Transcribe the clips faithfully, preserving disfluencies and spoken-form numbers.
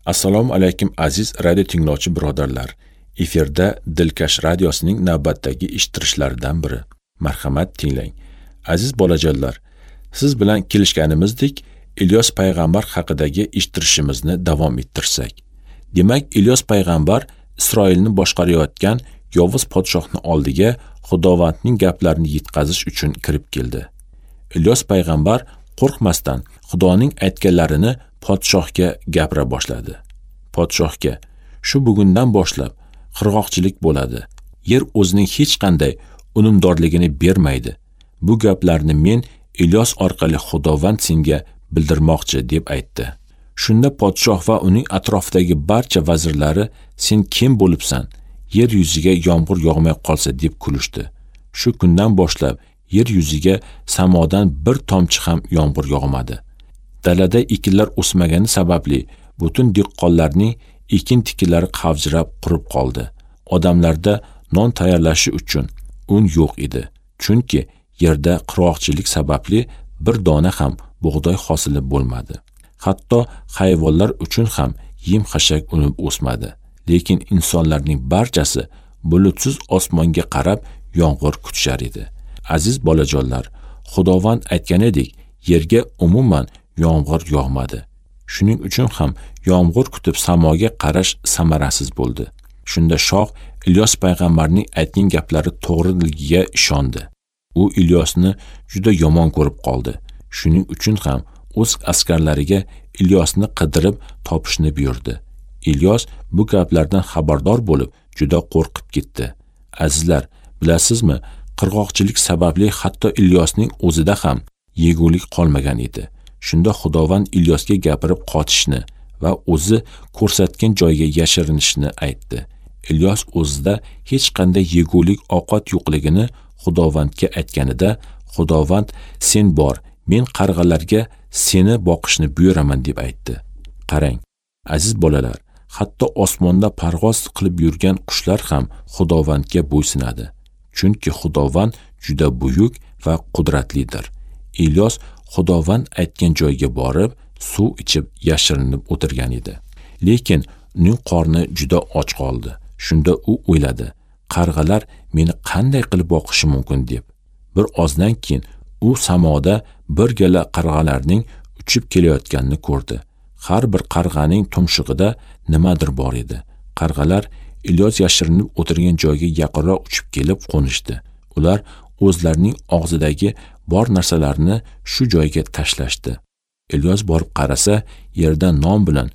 Assalomu alaykum aziz radio tinglovchi birodarlar. Efirda Dilkash radiosining navbatdagi eshittirishlaridan biri. Marhamat tinglang. Aziz bolajonlar, siz bilan kelishganimizdek Ilyos payg'ambar haqidagi eshittirishimizni davom ettirsak. Demak, Ilyos payg'ambar Isroilni boshqarayotgan yovuz podshohning oldiga Xudovandning gaplarini yetkazish uchun kirib keldi. Ilyos payg'ambar qo'rqmasdan Xudoning aytganlarini podshohga gapira boshladi. Podshohga: "Shu bugundan boshlab qirg'oqchilik bo'ladi. Yer o'zining hech qanday unumdorligini bermaydi. Bu gaplarni men Ilyos orqali Xudovand senga bildirmoqchi" deb aytdi. Shunda podshoh va uning atrofidagi barcha vazirlari: "Sen kim bo'libsan? Yer yuziga yomg'ir yog'may qolsa" deb kulishdi. Shu kundan boshlab yer yuziga samodan bir tomchi ham yomg'ir yog'madi. Dalada ekinlar o'smagani sababli butun dehqonlarning ekin tikilari qavjirab qurib qoldi. Odamlarda non tayyorlashi uchun un yo'q edi. Chunki yerda qurg'oqchilik sababli bir dona ham bug'doy hosili bo'lmadi. Hatto hayvonlar uchun ham yem-xashak unib o'smadi. Lekin insonlarning barchasi bulutsiz osmonga qarab yomg'ir kutishar edi. Aziz bolajonlar, Xudovand aytganidek, yerga umuman yomg'ir yog'madi. Shuning uchun ham yomg'ir kutib samoga qarash samarasiz bo'ldi. Shunda shoh Ilyos payg'ambarning aytgan gaplari to'g'riligiga ishondi. U Ilyosni juda yomon ko'rib qoldi. Shuning uchun ham o'z askarlariga Ilyosni qidirib topishni buyurdi. Ilyos bu gaplardan xabardor bo'lib, juda qo'rqib ketdi. Azizlar, bilasizmi, qirg'oqchilik sababli hatto Ilyosning o'zida ham yegulik qolmagan edi. Shunda Xudovand Ilyosga gapirib qochishni va o'zi ko'rsatgan joyga yashirinishni aytdi. Ilyos o'zida hech qanday yegulik ovqat yo'qligini Xudovandga aytganida, Xudovand: "Sen bor, men qarg'alarga seni boqishni buyuraman" deb aytdi. Qarang, aziz bolalar, hatto osmonda parvoz qilib yurgan qushlar ham Xudovandga bo'ysunadi. Chunki Xudovand juda buyuk va qudratlidir. Ilyos Xudovand aytgan joyga borib, suv ichib yashirinib o'tirgan edi. Lekin uning qorni juda och qoldi. Shunda u o'yladi: qarg'alar meni qanday qilib boqishi mumkin deb. Bir ozdan keyin u samoda bir gala qarg'alarning uchib kelayotganini ko'rdi. Har bir qarg'aning tumshug'ida nimadir bor edi. Qarg'alar Ilyos yashirinib o'tirgan joyga yaqinroq uchib kelib qo'nishdi. Ular o'zlarining og'zidagi bor narsalarni shu joyga tashlashdi. Ilyos borib qarasa, yerda non bilan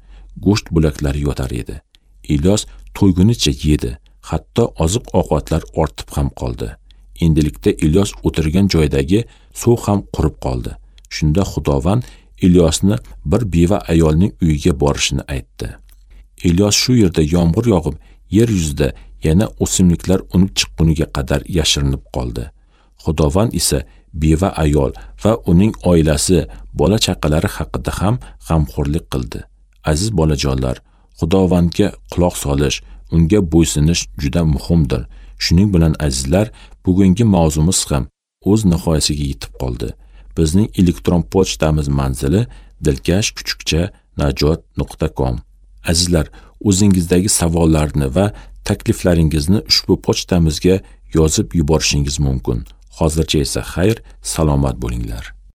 go'sht bo'laklari yotar edi. Ilyos to'ygunicha yedi, hatto oziq-ovqatlar ortib ham qoldi. Endilikda Ilyos o'tirgan joydagi suv ham qurib qoldi. Shunda Xudovand Ilyosni bir beva ayolning uyiga borishini aytdi. Ilyos shu yerda yomg'ir yog'ib, yer yuzida yana o'simliklar unib chiqquniga qadar yashirinib qoldi. Xudovand esa beva ayol va uning oilasi, bola chaqalari haqida ham g'amxo'rlik qildi. Aziz bolajonlar, Xudovandga quloq solish, unga bo'ysunish juda muhimdir. Shuning bilan azizlar, bugungi mavzumiz ham o'z nihoyasiga yetib qoldi. Bizning elektron pochtamiz manzili dilkash kuchukcha najot nuqta com. Azizlar, o'zingizdagi savollarni va takliflaringizni ushbu pochtamizga yozib yuborishingiz mumkin. Hozircha esa xayr, salomat bo'linglar.